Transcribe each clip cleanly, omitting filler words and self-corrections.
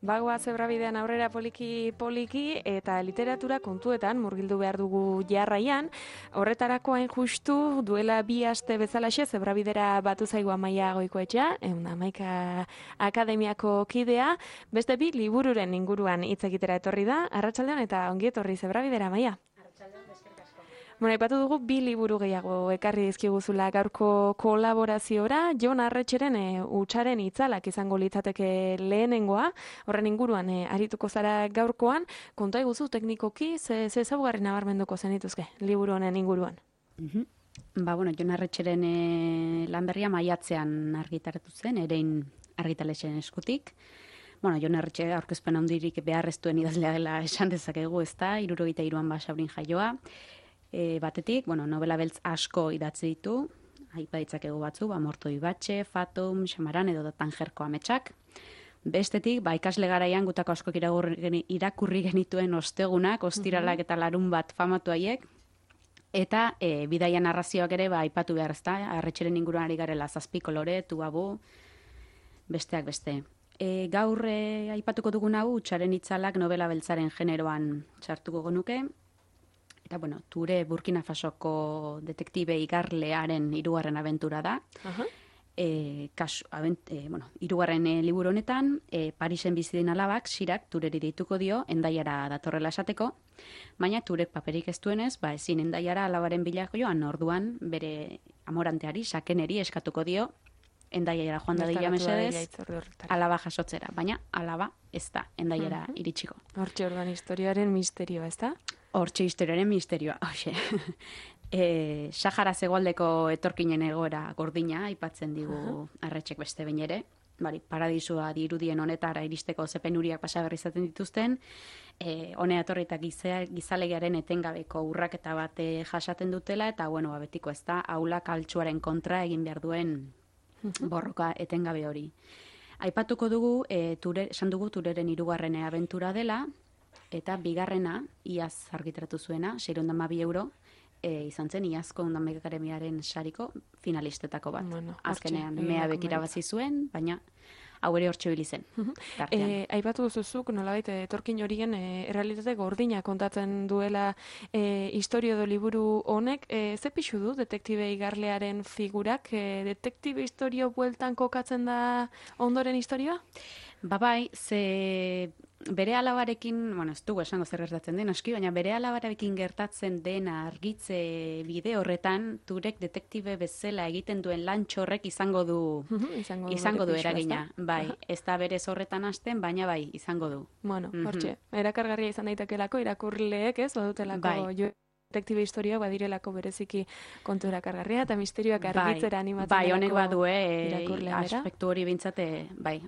Bagoa zebrabidean aurrera poliki eta literatura kontuetan murgildu behar dugu jarraian. Horretarako hain justu duela 2 aste bezalaxe zebrabidera batu zaigu Amaia Goikoetxea, Amaika Akademiako kidea, beste 2 libururen inguruan hitz egitera etorri da. Arratsaldean eta ongi etorri zebrabidera, Amaia. Bueno, aipatu dugu 2 liburu gehiago ekarri dizkiguzula gaurko kolaboraziora. Jon Arretxeren Hutsaren itzalak izango litzateke lehenengoa. Horren inguruan arituko zara gaurkoan. Konta iguzu teknikoki, ze ezaugarri nabarmenduko zenituzke liburu honen inguruan? Jon Arretxeren lan berria maiatzean argitaratu zen, Erein argitaletxeen eskutik. Jon Arretxe aurkezpen handirik beharreztuen idazlea dela esan dezakegu, ezta, 73an Basaurin jaioa. Batetik, novela beltz asko idatzi ditu, aipa ditzakegu batzu, Morto Ibatxe, Fatum, Xamaran edo Tangerko ametsak. Bestetik, ikasle garaian gutako askok irakurri genituen ostegunak, ostiralak eta larun bat famatu haiek, eta bidaia narrazioak ere aipatu behar ezta, Arretxeren inguruan ari garela 7 kolore, Tuabu, besteak beste. Gaur aipatuko dugun hau, Hutsaren itzalak novela beltzaren generoan txartuko genuke. Eta, Ture Burkina Fasoko detektibe igarlearen 3. abentura da. Hirugarren liburu honetan, Parisen bizi den alabak, Xirak Tureri deituko dio, Hendaiara datorrela esateko, baina Turek paperik ez duenez, ezin Hendaiara alabaren bila joan, orduan bere amoranteari, Sakeneri eskatuko dio, Hendaiara joan dadila mesedez, alaba jasotzera, baina alaba ez da Hendaiara iritsiko. Hortxe orduan historioaren misterioa, ez da? Hortxe historioaren misterioa, hoxe. Sahara zegoaldeko etorkinen egoera gordina, aipatzen digu Arretxek beste behin ere. Paradisua dirudien honetara iristeko zepenuriak pasaberri izaten dituzten, honea etorri eta gizalegiaren etengabeko urraketa bat jasaten dutela, eta betiko ez da, aulak altxuaren kontra egin behar duen borroka etengabe hori. Aipatuko dugu, esan dugu Tureren 3. abentura dela, eta 2. iaz argitaratu zuena, 612 euro, izan zen iazko Ondamek Akademiaren sariko finalistetako bat. Azkenean, meabek irabazi zuen, baina hau ere hortxe bilizen. Aipatu duzuzuk, nolabait, etorkin horien errealitate gordina kontatzen duela historio do liburu honek. Ze pixu du detektibe igarlearen figurak? Detektibe historio bueltan kokatzen da ondoren historioa? Ze bere alabarekin, ez dugu esango zer gertatzen den aski, baina bere alabarekin gertatzen dena argitze bide horretan, Turek detektibe bezala egiten duen lantxorrek izango du eragina. Ez da berez horretan hasten, baina izango du. Hortxe, erakargarria izan daitekelako, irakurleek ez, badutelako detektibe historioak badirelako bereziki kontu erakargarria eta misterioak argitzera animatzen honek badue aspektu hori bintzate,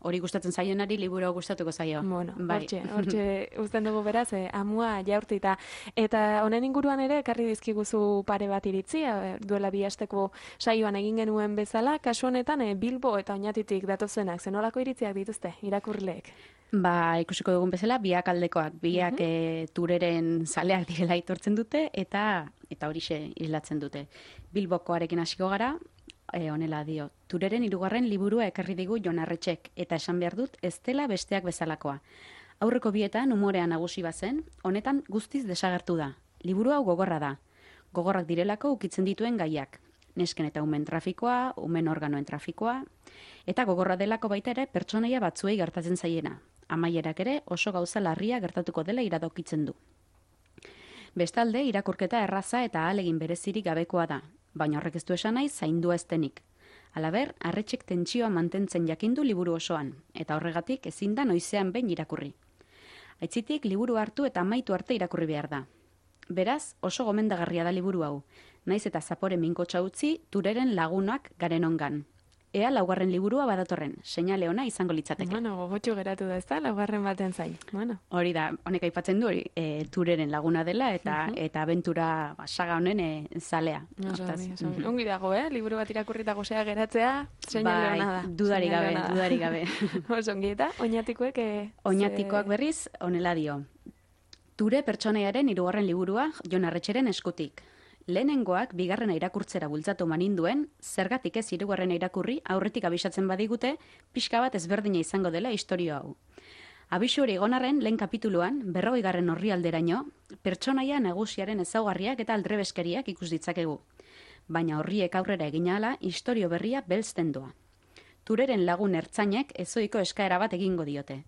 hori gustatzen zaionari liburu gustatuko zaio. Hortxe uzten dugu beraz, amua jaurtita. Eta honen inguruan ere, ekarri dizkiguzu pare bat iritzi, duela 2 asteko saioan egin genuen bezala, kasu honetan Bilbo eta Oñatitik datozenak, zenolako iritziak dituzte, irakurleek? Ikusiko dugun bezala, biak aldekoak, biak Tureren zaleak direla aitortzen dute, eta horixe islatzen dute. Bilbokoarekin hasiko gara, honela dio, Tureren 3. liburua ekarri digu Jon Arretxek, eta esan behar dut ez dela besteak bezalakoa. Aurreko bietan umorean nagusi bazen, honetan guztiz desagertu da. Liburu hau gogorra da. Gogorrak direlako ukitzen dituen gaiak. Nesken eta umen trafikoa, umen organoen trafikoa, eta gogorra delako baita ere pertsonaia batzuei gertatzen zaiena. Amaierak ere oso gauza larria gertatuko dela iradokitzen du. Bestalde, irakurketa erraza eta ahalegin berezirik gabekoa da, baina horrek ez du esan nahi zaindua ez denik. Halaber, Arretxek tentsioa mantentzen jakindu liburu osoan, eta horregatik ezin da noizean behin irakurri. Aitzitik, liburu hartu eta amaitu arte irakurri behar da. Beraz, oso gomendagarria da liburu hau, naiz eta zapore minkotxa utzi Tureren lagunak garen ongan. Ea 4. liburua badatorren, seinale ona izango litzateke. Gogotxu geratu da ez da, 4. baten zain. Hori da, honek aipatzen du, Tureren laguna dela, eta abentura saga honen zalea. Ongi dago, liburu bat irakurrita gozea geratzea, seinale ona da. Dudarik gabe. Oso ongi eta, Oñatikoek... Oñatikoak berriz, honela dio. Ture pertsonaiaren 3. liburua Jon Arretxeren eskutik. Lehenengoak bigarrena irakurtzera bultzatu maninduen, zergatik ez 3. irakurri aurretik abisatzen badigute, pixka bat ezberdina izango dela istorio hau. Abisu hori egon arren, lehen kapituluan, 40. orrialderaino, pertsonaia nagusiaren ezaugarriak eta aldrebeskeriak ikus ditzakegu. Baina horriek aurrera egin ahala, istorio berria belzten doa. Tureren lagun ertzainek ezoiko eskaera bat egingo diote.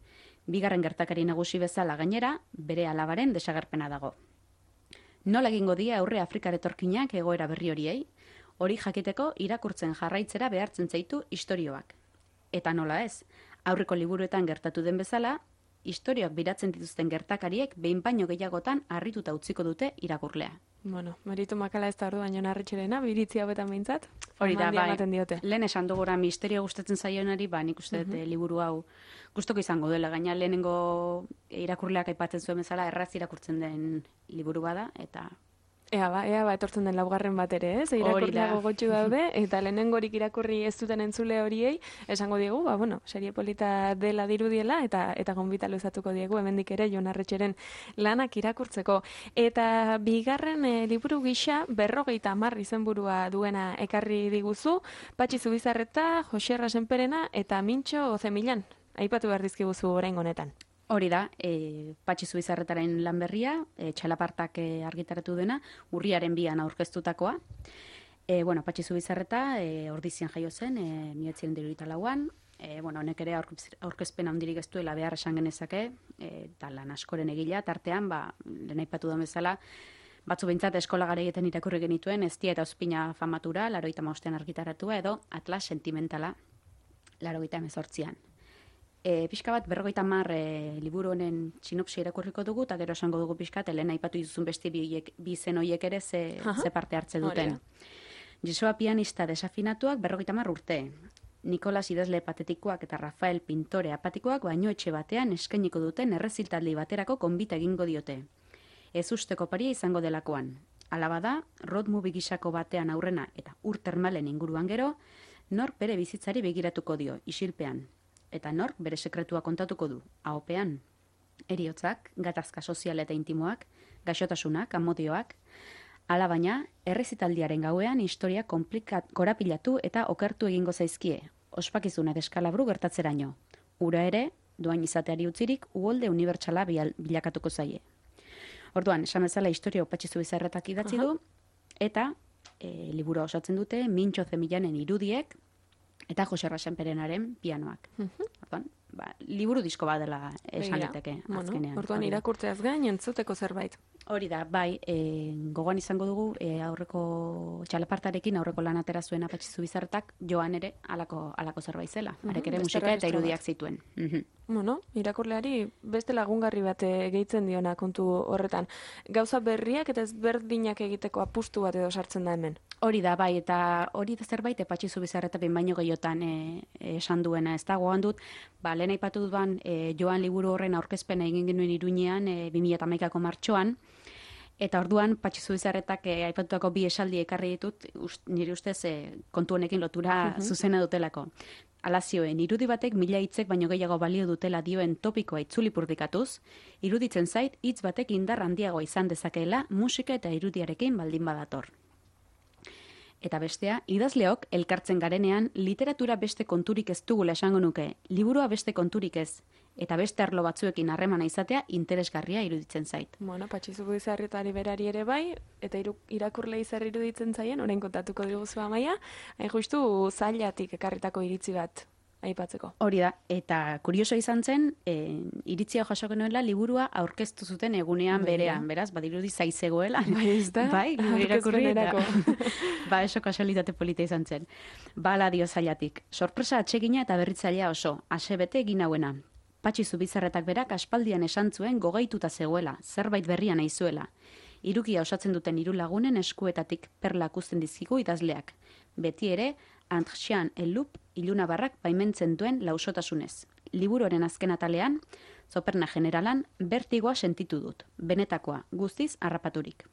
Bigarren gertakari nagusi bezala gainera, bere alabaren desagerpena dago. Nola egingo die aurre Afrikar etorkinak egoera berri horiei, hori jakiteko irakurtzen jarraitzera behartzen zaitu istorioak. Eta nola ez, aurreko liburuetan gertatu den bezala, istorioak biratzen dituzten gertakariek behin baino gehiagotan harrituta utziko dute irakurlea. Bueno, meritu makala ez da orduan Jon Arretxerena, biritzi hauetan behintzat. Hori da, bai, diote. lehen esan dugura misterio gustatzen zaionari, nik uste dut liburu hau gustoko izango dela, gaina lehenengo irakurleak aipatzen zuen bezala erraz irakurtzen den liburu bada, eta... Ea ba, etortzen den laugarren bat ere, ez? Irakurleak gogotsu daude, eta lehenengorik irakurri ez duten entzule horiei, esango diegu, serie polita dela dirudiela, eta gonbita luzatuko diegu, hemendik ere Jon Arretxeren lanak irakurtzeko. Eta bigarren liburu gisa, 50 izenburua duena ekarri diguzu, Patxi Zubizarreta, Jose Rasenperena, eta Mintxo Ozemilan. Aipatu behar dizkiguzu oraingo honetan. Hori da, Patxi Zubizarretaren lan berria, txalapartak argitaratu dena, urriaren 2an aurkeztutakoa. Patxi Zubizarreta Ordizian jaio zen, 1974an. Honek ere aurkezpen handirik ez duela behar esan genezake, eta lan askoren egila, tartean, lehen aipatu da bezala, batzu behintzat eskola garaietan irakurri genituen, Eztia eta Ospina famatura, 85an argitaratua, edo Atlas sentimentala, 88an. Pixka bat, 50 liburu honen sinopsia irakurriko dugu, eta gero esango dugu pixka, lehen aipatu dituzun beste bi zen horiek ere ze parte hartze duten. Jesoa pianista desafinatuak 50 urte. Nikolas idazle patetikoak eta Rafael pintore apatikoak baino etxe batean eskainiko duten erreziltaldi baterako konbita egingo diote. Ez usteko paria izango delakoan. Hala bada, road movie gisako batean aurrena eta ur termalen inguruan gero, nork bere bizitzari begiratuko dio, isilpean. Eta nork bere sekretua kontatuko du, ahopean. Heriotzak, gatazka sozial eta intimoak, gaixotasunak, amodioak. Hala baina, errezitaldiaren gauean historia korapilatu eta okertu egingo zaizkie, ospakizunak eskalabru gertatzeraino. Ura ere, doain izateari utzirik, uholde unibertsala bilakatuko zaie. Orduan, esan bezala historia Patxi Zubizarretak idatzi du, eta liburu osatzen dute Mintxo Ozemilanen irudiek, eta Jose Rasenperenaren pianoak. Orduan, liburu disko bat dela esan liteke azkenean. Orduan irakurtzeaz gain entzuteko zerbait. Hori da, gogoan izango dugu aurreko txalapartarekin aurreko lan atera zuen Patxi Zubizarretak joan ere alako zerbait zela. Arek ere musika eta irudiak zituen. Irakurleari beste lagungarri bat gehitzen diona kontu horretan. Gauza berriak eta ezberdinak egiteko apustu bat edo sartzen da hemen. Hori da, eta hori da zerbait Patxi Zubizarreta behin baino gehiotan esan duena. Ez da, gogoan dut, lehen aipatu dudan joan liburu horren aurkezpena egin genuen Iruñean 2011ko martxoan, eta orduan Patxi Zubizarretak aipatutako bi esaldi ekarri ditut, nire ustez kontu honekin lotura zuzena dutelako. Hala zioen, irudi batek 1000 hitzek baino gehiago balio dutela dioen topikoa itzulipurdikatuz, iruditzen zait hitz batek indar handiagoa izan dezakeela musika eta irudiarekin baldin badator. Eta bestea, idazleok elkartzen garenean literatura beste konturik ez dugula esango nuke, liburua beste konturik ez, eta beste arlo batzuekin harremana izatea interesgarria iruditzen zait. Patxi Zubizarretari berari ere bai, eta irakurlei zer iruditzen zaien, orain kontatuko diguzu Amaia, hain justu zailatik ekarritako iritzi bat aipatzeko. Hori da, eta kurioso izan zen, iritzia jasoko nuela liburua aurkeztu zuten egunean berean, beraz, badirudi zaizegoela. Bai, irakurrerako. Eso kasualitate polita izan zen. Bala dio zailatik. Sorpresa atsegina eta berritzailea oso, asebete egin hauena. Patxi Zubizarretak berak aspaldian esan zuen gogaituta zegoela, zerbait berria nahi zuela. Hirukia osatzen duten 3 lagunen eskuetatik perlak uzten dizkigu idazleak. Beti ere, Antxian Elup ilunabarrak baimentzen duen lausotasunez. Liburuaren azken atalean, Zoperna generalan, bertigoa sentitu dut. Benetakoa, guztiz harrapaturik.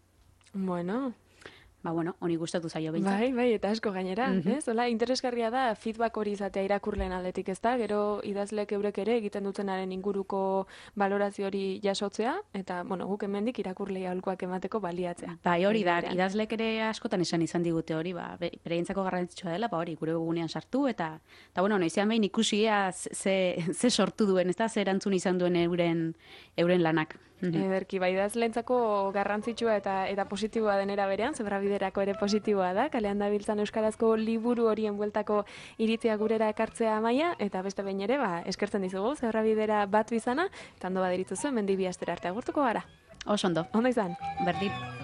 bueno, honi gustatu zaio behintzat. Bai, eta asko gainera, ez? Hola, interesgarria da feedback hori izatea irakurleen aldetik, ez da? Gero idazlek eurek ere egiten dutenaren inguruko balorazio hori jasotzea, eta, bueno, guk hemendik irakurlei aholkuak emateko baliatzea. Bai, hori da, idazlek ere askotan izan digute hori, bereientzako garrantzitsua dela, hori, gure webgunean sartu, eta bueno, noizean behin ikusia ze sortu duen, ez da, ze erantzun izan duen euren lanak. Ederki, bai, idazleentzako garrantzitsua eta positiboa denera berean, Zebrabiderako ere positiboa da, kalean dabiltzan euskarazko liburu horien bueltako iritzia gurera ekartzea Amaia, eta beste behin ere, eskertzen dizugu, Zebrabidera bat bizana, eta ondo baderitzuzu, hemendik 2 astera arte agurtuko gara. Oso ondo. Ondo izan. Berdin.